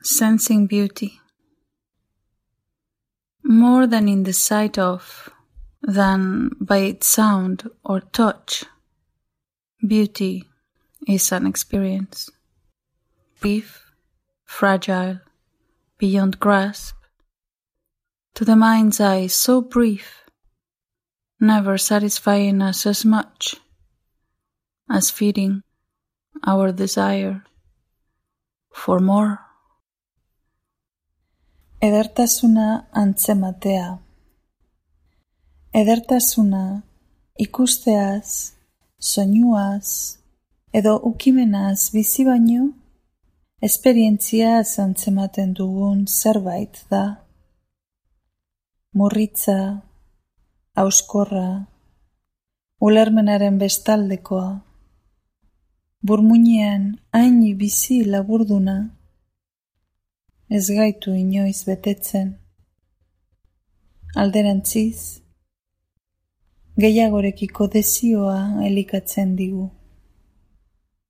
Sensing beauty. More than in the sight of, than by its sound or touch, beauty is an experience. Brief, fragile, beyond grasp, to the mind's eye so brief, never satisfying us as much as feeding our desire for more. Edertasuna antzematea. Edertasuna ikusteaz, soinuaz, edo ukimenaz bizi baino, esperientziaz antzematen dugun zerbait da. Murritza, hauskorra, ulermenaren bestaldekoa, burmuinean hain bizi laburduna, ez gaitu inoiz betetzen. Alderantziz, gehiagorekiko desioa elikatzen digu.